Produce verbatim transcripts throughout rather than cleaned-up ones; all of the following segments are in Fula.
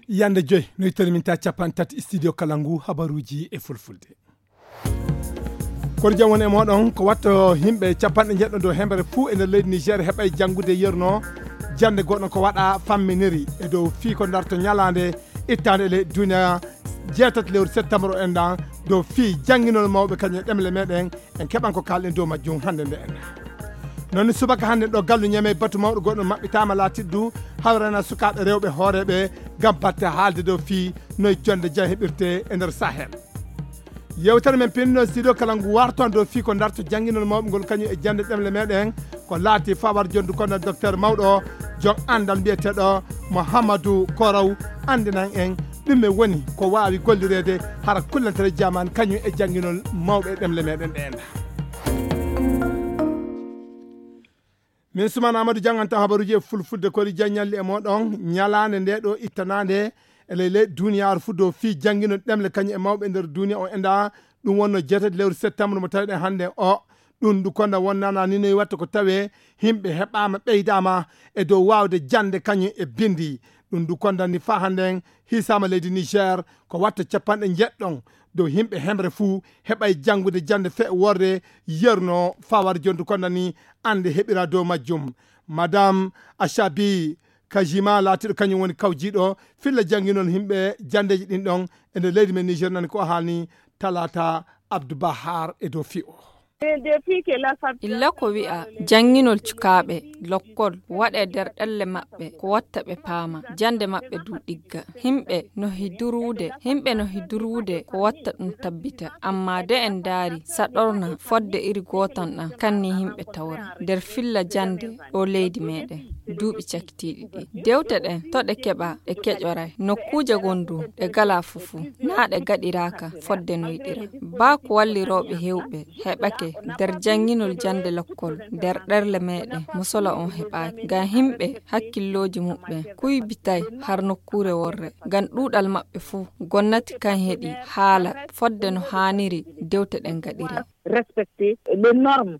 Yande joy no ittori min ta capanɗe tati studio kala ngu habaruuji e fulfulde. Kono jam woni e moɗon ko watto yimɓe capanɗe njeɗɗo dow hembere fuu e nder leydi Niger heɓay janngude yerno jannde goɗɗo ko waɗa famminiri e dow fii ko darto ñalaande ittaande e leydi duniya jeetati lewru septembre o enɗan dow fii jannginol mawɓe kañum e ɗemle meɗen en keɓan ko kalɗen dow majjum hannde nde enɗan. Noon subaka hannde ɗo gallu ñeme batu mawɗo goɗɗo maɓɓitaama laatiɗo du hawrana sukaaɓe rewɓe hooreeɓe ngam batte haalde dow fii noye jonnde jam heɓirte e nder Sahel. Yewtere men pinno studio kala ngu warton dow fii ko darto jannginol mawɓe ngol kañum e jannde ɗemle meɗen ko laati fawar jondu kono docteur mawɗo joom anndal mbiyeteeɗo Mouhamadou Koraw anndinan en ɗum e woni ko waawi gollireede hara kullantere jaman kañum e jannginol mawɓe e ɗemle meɗen ɗe enɗan. Min Suman Amadou jannganta habaruuji e fulfulde kori jaññalli e moɗon ñalaande nde ɗo ittanaande e ley ley duniyaaru fuu dow fii jannginol ɗemle kañum e mawɓe e nder duniya o enɗan. Ɗum wonno jeetati lewru septembre mo tawiɗen hannde o ɗum ndu konda wonnana ni noyi watta ko tawe yimɓe heɓaama ɓeydaama e dow waawde jannde kañum e binndi. Ɗum ndu konda ni faa hannden hiisaama leydi Niger ko watta capanɗe njeɗɗon dow yimɓe hemre fuu heɓay janngude jannde fe worde yerno fawar jondu konda ni annde heɓira dow majjum. Madame Achabi Kajima laatiɗo kañum woni kawjiiɗo filla jannginol yimɓe janndeeji ɗin ɗon e nder leydi men Niger nani ko o haalni talaata Abdou Bahar e dow fii o. Illa ko wi'a jannginol cukaaɓe lokkol waɗe nder ɗelle maɓɓe ko watta ɓe paama jannde maɓɓe du ɗigga. Himɓe no hidurude himɓe no hidurude ko watta ɗum tabbita amma de en ndaari saɗorna fodde iri gootan ɗan kanni himɓe tawra nder filla jannde ɗo leydi meɗen duuɓi cakitiiɗi ɗi dewte ɗen to ɗe keɓa ɗe keƴoray nokkuuje gondu ɗe gala fufuu naa ɗe gaɗiraaka fodde no yiɗira baa ko wallirooɓe hewɓe heɓake nder jannginol jannde lokkol nder ɗerle meɗen musola on heɓaaki ngam himɓe hakkillooji muɓɓen kuybitay har nokkuure worre ngam ɗuuɗal maɓɓe fuu gonnati kan heɗi haala fodde no haaniri dewte ɗen gaɗire. Respecter les normes.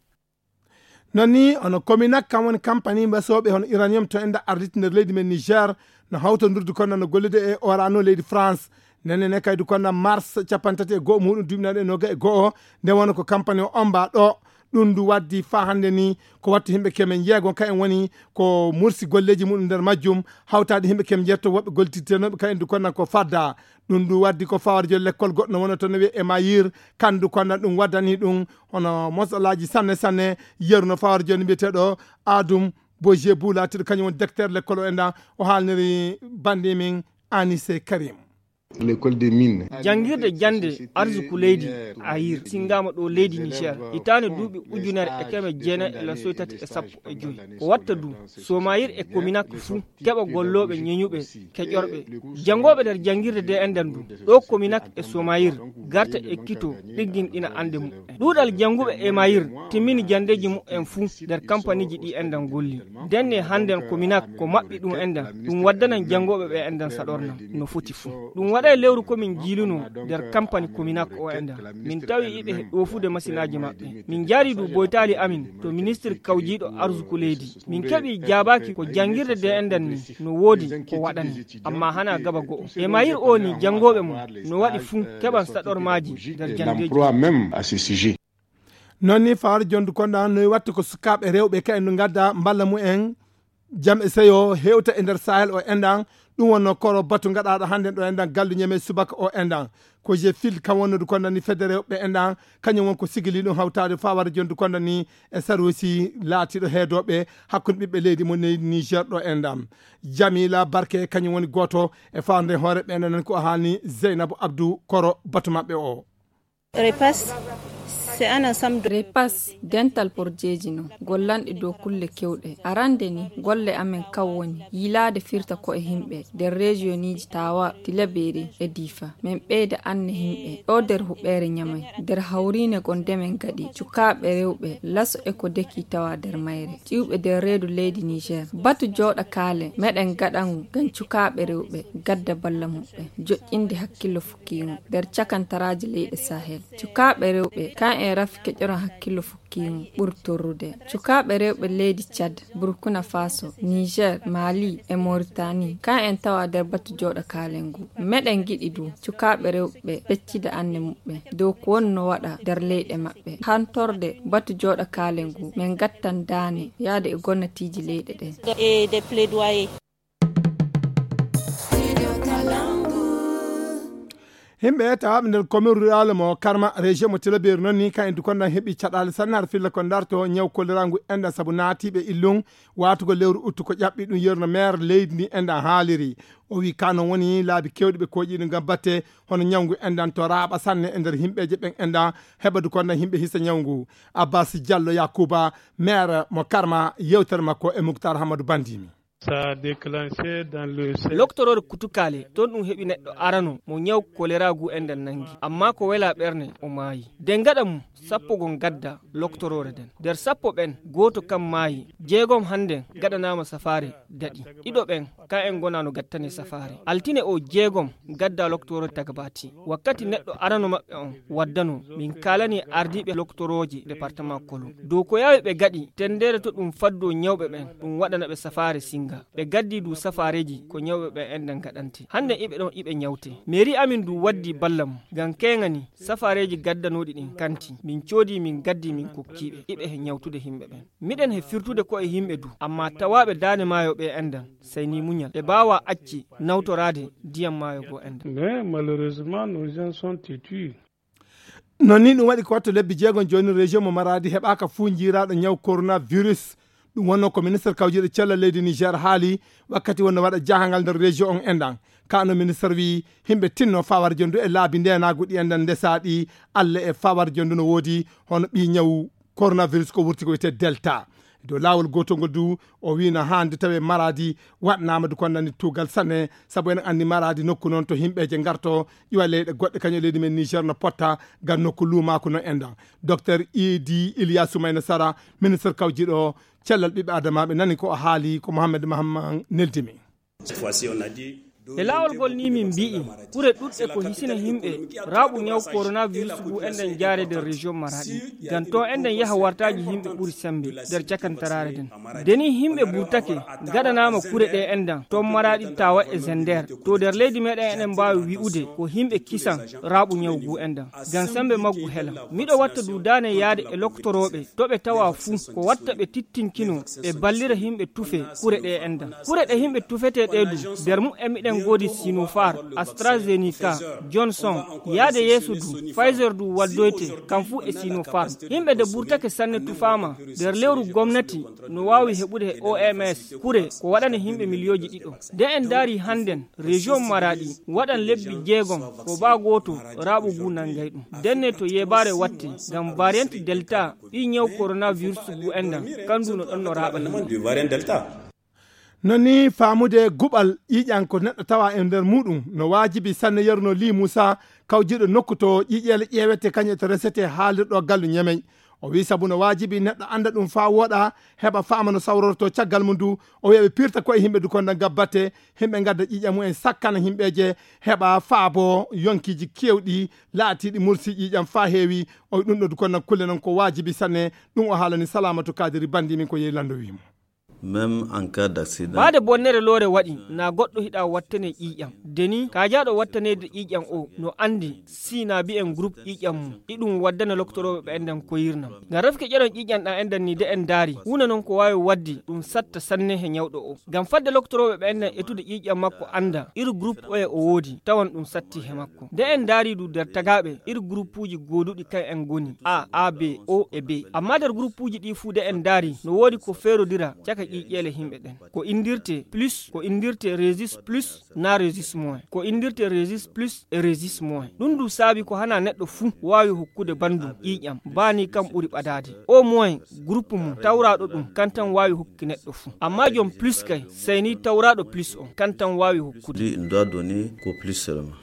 Non ni hono Cominac kam woni kampani mbasooɓe hono uranium to enda arditi nder leydi men Niger no hawtondurdi kono no gollude e orano leydi France. Nenne ne kaydu kono mars capanɗe tati e go'o muɗum duuɓi nayi e noga e go'o nde wona ko kampani o omba ɗo. Ɗum ndu waddi faa hannde ni ko wattu yimɓe kemen jeego ka en woni ko mursi golleeji muɗum nder majjum hawtaade yimɓe kemen jeetto woɓɓe gollititenoɓe ka en du kono ko fadda. Ɗum ndu waddi ko fawar jol lekkol goɗɗo no wona toon no wiye e mayir kandu kono ɗum waddani ɗum hono mosalaaji sanne sanne. Yeru no fawar jol mbiyeteeɗo Adum Boje Bula tiɗo kañum woni directeur lekkol o enɗan o haalniri bandi min Anise Karim. L'école des mines. Janngirde jannde arsuku leydi ayir singaama ɗo leydi Niger hitaande duuɓi ujunere e keme jeenayi e lasoy tati e sappo e joy. Ko watta du somayir e kominak fuu keɓa gollooɓe ñeñuɓe keƴorɓe janngooɓe nder janngirde de enɗan du ɗo kominak e somayir garta ekkito ɗigginɗina annde muɓɓen. Ɗuuɗal jannguɓe e mayir timmini janndeeji muɓɓen fuu nder kampaniiji ɗi enɗan golli. Ndenne hannden kominak ko maɓɓi ɗum enɗan ɗum waddanan janngooɓe ɓe enɗan saɗorna no foti fuu. Ɗum waɗa e lewru komin jiilunoo nder kampani kominak o enɗan min tawi iɓe ɗoofude masinaaji maɓɓe. Min njaari du boytaali amin to ministir kawjiiɗo arsuku leydi min keɓi jaabaaki ko janngirde de enɗan ni no woodi ko waɗani amma hana gaba go'o e mayir o ni janngooɓe mum no waɗi fuu keɓan saɗormaaji nder janndeeji. Noon ni fawaade jondu konɗan noy watta ko sukaaɓe rewɓe ka en no ngadda mballa mumen jam e seyo hewta e nder sahel o enɗan. Ɗum wonno koro batu gaɗaɗo hannde ɗo enɗan gallu ñeme subaka o enɗan ko je fil kam wonnude konɗan ni fedde rewɓe enɗan kañum won ko sigili ɗum hawtaade fawaade jondu konɗan ni e sarusi laatiɗo heedoɓe hakkunde ɓiɓɓe leydi mo leydi Niger ɗo enɗan. Jamila Barke kañum woni gooto e faande hoore ɓe nan ko haalni Zeynabu Abdou koro batu maɓɓe o. Repas, c'est un ensemble de repas dental porjeeji no gollanɗe dow kulle kewɗe. Arande ni golle amen kaw woni yiilaade firta ko e himɓe nder rejiyoniji Tawa, Tilaberi e Difa. Min ɓeyda anne himɓe ɗo nder huɓeere ñamay nder hawriine gonde men gaɗi cukaaɓe rewɓe laso e ko deki tawa nder mayre ƴiwɓe nder reedu leydi Niger. Batu jooɗa kaale meɗen gaɗangu ngam cukaaɓe rewɓe gadda balla muɓɓen joƴƴinde hakkillo fukkiingo nder cakantaraaji leyɗe Sahel. Cukaaɓe rewɓe kan E rafi keƴoron hakkillo fukkiimo ɓuri torrude. Cukaaɓe rewɓe leydi Cad, Burkina Faso, Niger, Mali e Mauritanie, ka en tawa nder batu jooɗo kaalen ngu. Meɗen giɗi du cukaaɓe rewɓe peccida anne muɓɓen dow ko wonno waɗa nder leyɗe maɓɓe. Hantorde batu jooɗo kaalen ngu, men gattan daane yaade e gonnatiiji leyɗe ɗen. Himɓe tawaaɓe nder commune rural mo Karma, région mo Tilaberi noon ni, kan en dukondan heɓi caɗaale sanne har filla ko darto ñaw kolera ngu enɗan sabu naatiiɓe illun waatugo lewru uttu ko ƴaɓɓi ɗum yerno maire leydi ndi enɗan haaliri. O wi ka noon woni laabi kewɗi ɓe koƴi ɗum ngam batte hono ñaw ngu enɗan to raaɓa sanne e nder himɓeeje ɓen enɗan heɓa dukondan himɓe hisa ñaw ngu. Abbas Diallo Yakuba, maire mo Karma, yewtere makko e Muktar Hamadu Bandimi. Loktoroore kutukaale toon ɗum heɓi neɗɗo arano mo ñaw kolera ngu enɗan nangi, amma ko wela ɓerne o maayi. Nden gaɗa mum sappo gon gadda loktoroore nden. Nder sappo ɓen gooto kam maayi. Jeegom hannden gaɗanaama safaare daɗi. Ɗiɗo ɓen ka en ngonano gattane safaare altine o jeegom gadda loktoroore tagbati. Wakkati neɗɗo arano maɓɓe on waddano, min kaalani ardiiɓe loktorooje département kolo dow ko yaawi ɓe gaɗi tendere to ɗum faddo ñawɓe ɓen ɗum waɗana ɓe safaare singa. Ɓe gaddi du safaareeji ko ñawɓe ɓen enɗan gaɗante. Hannde iɓe ɗon iɓe ñawte. Mairie amin du waddi balla mum ngam keŋani safaareeji gaddanooɗi ɗin kanti. Min coodi min gaddi min kokkiiɓe iɓe he ñawtude himɓe ɓen. Miɗen he firtude ko e yimɓe du, amma tawaaɓe daande maayo ɓe enɗan, sey ni muñal. Ɓe mbaawaa acci nawtoraade ndiyam maayo goo enɗan. Mais malheureusement, nos gens sont têtus. Noon ni ɗum waɗi ko watto lebbi jeegom jooni, région mo Maradi heɓaaka fuu jiiraaɗo ñaw coronavirus. Ɗum wonnoo ko ministre kawjiiɗo cellal leydi Niger haali wakkati wonno waɗa jaahangal nder région on enɗan. Kaano ministre wi yimɓe tinno fawar jondu e laabi ndenaagu ɗi enɗan ndesaaɗi Alla e fawar jondu no woodi hono ɓii ñaw coronavirus ko wurti ko wiyetee Delta. Dow laawol gootol ngol du, o wii no haande tawee Maradi waɗnaama du ko nani tuugal sanne, sabu enen anndi Maradi nokku noon to yimɓeeje ngarto ƴuwa leyɗe goɗɗe, kañum leydi men Niger no potta ngam nokku luumaaku no enɗan. Docteur Idi Iliya Soumaïna Sara, ministre kawjiiɗo cellal ɓiɓɓe adamaaɓe, nani ko o haali ko Mohamed Mahamman neldi mi. E laawol ngol ni min mbi'i kure ɗuɗɗe ko hisina yimɓe raaɓu ñaw coronavirus ngu enɗan jaare nder région Maradi. Ngam to enɗan yaha wartaaji yimɓe ɓuri sembe nder cakantaraare nden. Deni yimɓe burtake gaɗanaama kure ɗe enɗan ton Maradi tawa e Zender. To nder leydi meɗen eɗen mbaawi wi'ude ko yimɓe kisan raaɓu ñaw ngu enɗan. Ngam sembe maggu hela. Miɗo watta du daane yaade e loktorooɓe to ɓe tawa fuu ko watta ɓe tittinkino ɓe ballira yimɓe tufe kure ɗe enɗan. Kure ɗe yimɓe tufetee ɗe du nder mumen miɗen ngoodi Sinopharm, AstraZeneca, Johnson, yaade yeeso du Pfizer du waddoyte kam fuu e Sinopharm. Yimɓe nde burtake sanne tufaama nder lewru gomnati no waawi heɓude he O M S kure ko waɗane yimɓe miliyooji ɗiɗo. Nde en ndaari hannden région Maradi waɗan lebbi jeegom ko baa gooto raaɓu ngu nanngay ɗum. Ndenne to yeebaare watte ngam variant Delta ɓii ñaw coronavirus ngu enɗan kandu no ɗon no raaɓa yimɓe. Noon ni faamude guɓal ƴiiƴan ko neɗɗo tawa e nder muɗum no waajibi sanne. Yerno Li Muusa, kawjiiɗo nokku to ƴiiƴeele ƴeewete kañum e to resete haalirɗo gallu ñemeñ. O wii sabu no waajibi neɗɗo annda ɗum faa wooɗa, heɓa faama no sawrorto caggal mum du. O wiya ɓe pirta koye yimɓe du konda ngabbate, yimɓe ngadda ƴiiƴam mumen sakkana yimɓeeje, heɓa faabo yonkiiji keewɗi laatiiɗi mursi ƴiiƴam faa heewi. O wi ɗum ɗo du konda kulle noon ko waajibi sanne. Ɗum o haalani Salamatu Kadiri Bandi min ko yehi lanndo wiimo. Même en cas d'accident. Baade bonnere loore waɗi na goɗɗo hiɗa wattane ƴiiƴam. Deni kaajaaɗo wattaneede ƴiiƴam o no anndi si na mbi'en groupe ƴiiƴam mum iɗum waddana loktorooɓe ɓe enɗan koyirnam. Ngam refke ƴeron ƴiiƴam ɗan enɗan ni de en ndaari huunde noon ko waawi waddi ɗum satta sanne he ñawɗo o. Ngam fadde loktorooɓe ɓe enɗan etude ƴiiƴam makko annda iri groupe oye o woodi tawan ɗum satti he makko. Nde en ndaari du nder tagaaɓe iri groupuuji gooduɗi kan en ngoni A, A B, O e B. Amma nder groupuuji ɗi fuu de en ndaari no woodi ko feerodira caka ƴiiƴeele yimɓe ɗen. Ko inndirte plus, ko inndirte resus plus na resus moins. Ko inndirte resus plus e resus moins. Ɗum du saabi ko hana neɗɗo fuu waawi hokkude banndum ƴiiƴam baa ni kam ɓuri ɓadaade. Au moins groupe mum tawraaɗo ɗum kan tan waawi hokki neɗɗo fuu. Amma jom plus kay sey ni tawraaɗo plus on kan tan waawi hokkude. Lui, il doit donner qu'au plus seulement.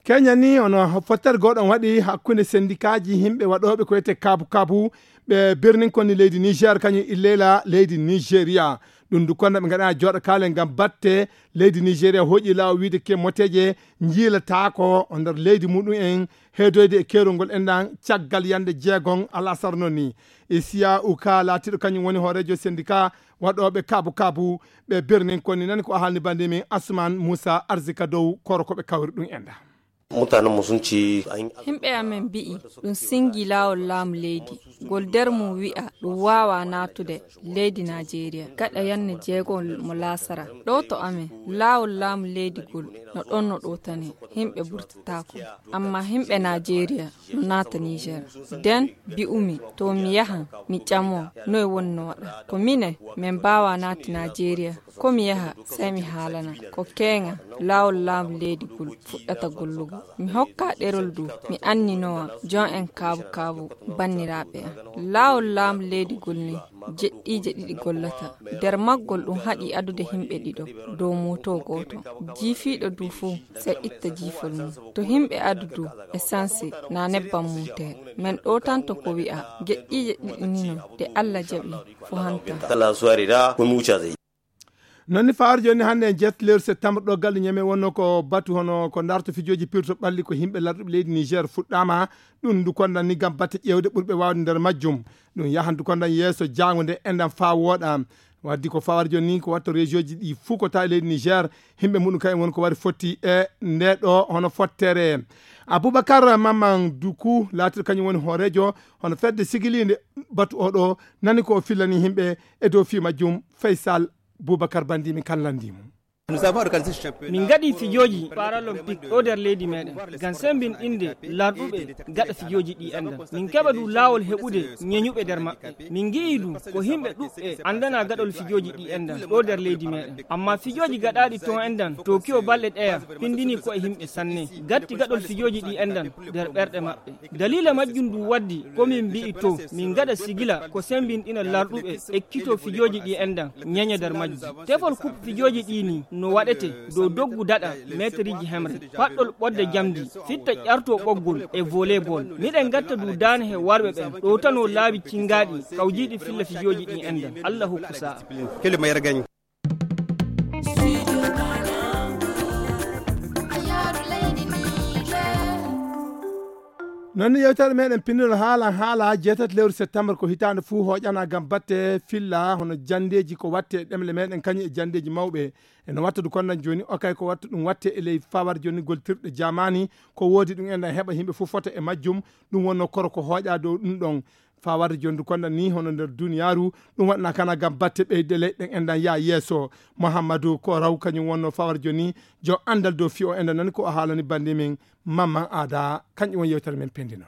Kenya ni, ono fottere gooto on waɗi hakkunde sendikaaji yimɓe waɗooɓe ko wiyetee kabu kabu, ɓe birnin konni leydi Niger, kañum illeyla leydi Nigeria. Ɗum du konna ɓe ngaɗa jooɗo kaalen ngam batte leydi Nigeria hooƴi laawol wiide ke moteeje njiilataako o nder leydi muɗum en, heedoyde e keerol ngol enɗan caggal yande jeegon alasar noon ni. Isiya Uka laatiiɗo kañum woni hooreejo sendika waɗooɓe kabu kabu, ɓe birnin konni nani ko a haalni bannde min Asuman Musa Arzika dow koro ko ɓe kawri ɗum enɗan. Mutanen mu sun ci an- Himɓe amen mbi'i ɗum singi laawol laamu leydi, ngol nder mum wi'a ɗum waawaa naatude leydi Najeriya gaɗa yanne jeegol mo laasara. Ɗo to amen, laawol laamu leydi ngol no ɗon no ɗowtanee, himɓe burtataako. Amma himɓe Najeriya no naata Niger. Den mbi'umi to mi yahan mi ƴamo noy woni no waɗa. Ko minen min mbaawaa naati Najeriya. Ko mi yaha, sey mi haalana. Ko keeŋa, laawol laamu leydi ngol fuɗɗata gollugo. Mi hokkaa ɗerol du, mi anninowa jon en kaabu kaabu banniraaɓe am. Laawol laamu leydi ngol ni, jeɗɗiije ɗiɗi gollata. Nder maggol ɗum haɗi adude himɓe ɗiɗo dow mooto gooto. Jiifiiɗo du fuu, sey itta jiifol mum. To himɓe adu du, esansi naa nebbam mum tee. Men ɗowtanto ko wi'a, jeɗɗiije ɗiɗi ni no, ɗe Alla jaɓi, fo hanta. Kala suwari da, ko mi wucca zai. Noon ni fawaade jooni hannde en jeetati lewru septembre ɗo galle Ñeme wonno ko batu hono ko darto fijooji pirto ɓalli ko yimɓe larɗuɓe leydi Niger fuɗɗaama. Ɗum ndu kondan ni ngam batte ƴeewde ɓurɓe waawde nder majjum. Ɗum yahan ndu kondan yeeso jaango nde enɗan faa wooɗa. Waddi ko fawaade jooni ni ko watta région ji ɗi fuu ko tawi leydi Niger, yimɓe muɗum kañum woni ko wari fotti e nde ɗo hono fottere. Aboubacar Maman Duku laatiiɗo kañum woni hooreejo hono fedde sigiliinde batu oɗo, nani ko o fillani yimɓe e dow fii majjum. Faysal Boubacar Bandi min kan lanndii mo. Min ngaɗi fijooji paralympique ɗo nder leydi meɗen ngam sembinɗinde larɗuɓe gaɗa fijooji ɗi enɗan. Min keɓa du laawol heɓude ñeñuɓe nder maɓɓe. Min ngi'i du ko yimɓe ɗuɓɓe anndana gaɗol fijooji ɗi enɗan ɗo nder leydi meɗen. Amma fijooji gaɗaaɗi ton enɗan Tokyo balɗe ɗeya pindini ko'e yimɓe sanne. Gatti gaɗol fijooji ɗi enɗan nder ɓerɗe maɓɓe. Daliila majjum du waddi ko min mbi'i to min ngaɗa sigila ko sembinɗina larɗuɓe ekkito fijooji ɗi enɗan ñeña nder majji. Tefol kup fijooji ɗi ni no waɗete dow doggu daɗa meeteriji hemre. Paɗɗol ɓodde jamdi, fitta ƴarto ɓoggol e volleyball. Miɗen ngatta du daane he warɓe ɓen ɗowtano laabi cinngaaɗi kawjiiɗi filla fijooji ɗi enɗan. Alla hokku sa'a. Noon ni yewtere meɗen pinnirol haala haala jeetati lewru septembre ko hitaande fuu hooƴana ngam batte filla hono janndeeji ko watte e ɗemle meɗen kañum e janndeeji mawɓe. Eno watta du kondan jooni o kay ko watta ɗum watte e ley fawar jonnigol tirɗe jamani ko woodi ɗum enɗan heɓa yimɓe fof fota e majjum. Ɗum wonno koro ko hooƴa dow ɗum ɗon. Fawar jondu kondan ni hono nder duniyaaru ɗum waɗna kana ngam batte ɓeyde leyɗen enɗan yaa yeeso. Muhammadu ko raw kañum wonno fawar joni jo anndal dow fiyo enɗan nani ko o haalani bannde min. Mamman aada kañƴum won yewtere men pendi noon.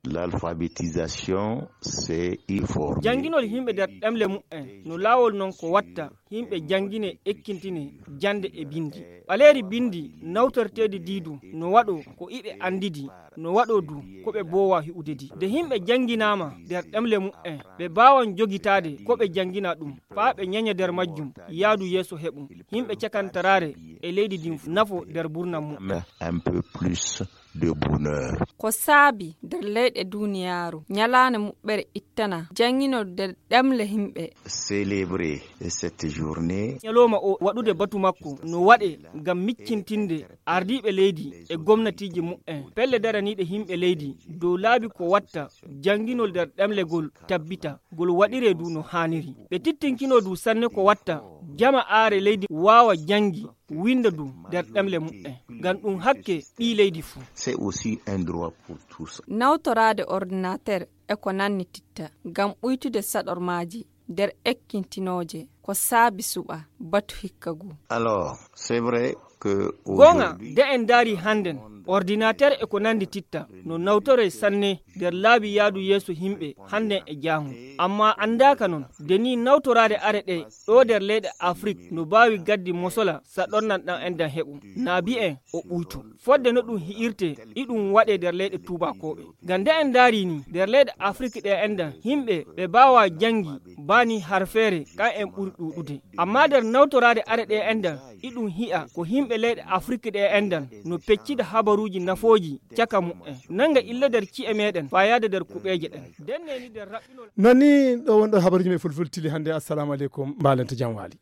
L'alphabétisation, c'est il faut. Jannginol yimɓe nder ɗemle muɓɓen no laawol non ko watta yimɓe janngine ekkintine jannde e binndi. Ɓaleeri binndi nawtorteedi diidu no waɗo ko iɓe anndidi no waɗo du ko ɓe boowa hi'udedi nde yimɓe jannginaama nder ɗemle muɓɓen ɓe mbaawan jogitaade ko ɓe janngina ɗum faa ɓe ñaña nder majjum yaadu yeeso heɓum yimɓe cakantaraare e leydi ndin nafo nder mburnam muɓɓen. Un peu plus de bonheur. Ko saabi nder leyɗe duniyaaru ñalaande muɓɓere ittana jannginol nder ɗemle yimɓe. Célébrer cette journée. Ñalooma o waɗude batu makko no waɗe ngam miccintinde ardiiɓe leydi e gomnatiiji muɓɓen pelle daraniiɗe yimɓe leydi dow laabi ko watta jannginol nder ɗemlegol tabbita ngol waɗiree du no haaniri ɓe tittinkino du sanne ko watta jama aare leydi waawa janngi winnda du nder ɗemle muɓɓen ngam ɗum hakke ɓii leydi fuu. C'est aussi un droit pour tous. Nawtoraade ordinateur e ko nanni titta ngam ɓuytude saɗormaaji nder ekkintinooje ko saabi suɓa batu hikka ngu. Alors c'est vrai que goonga de en ndaari hannden ordinateur e ko nanndi titta no nawtoree sanne nder laabi yaadu yeeso yimɓe hannden e jaamu. Ammaa anndaaka noon, de nii nawtoraade are ɗe ɗo nder leyɗe Afrik no baawi gaddi mosola sa ɗonnan ɗan endan heɓum. Naa bi'en o ɓuyto. Fodde no ɗum hi'irtee, iɗum waɗee nder leyɗe tuubaakooɓe. Ngam nde en ndaari nii, nder leyɗe Afrik ɗe endan, yimɓe ɓe baawaa janngi, baa nii harfeere, kan en ɓuri ɗuuɗude. Ammaa nder nawtoraade are ɗe endan, iɗum hi'a ko yimɓe leyɗe Afrik ɗe endan no peccida habaruuji nafooji caka mu'en. Nanga illa nder ci'e meeɗen, faa yaade nder kuɓeeje ɗen. Ndenne ni nder raɓɓinol. Non ni ɗo wonɗo habaruuji men fulfulde tili hannde. Assalamu aleykum, mbaalente jam waali.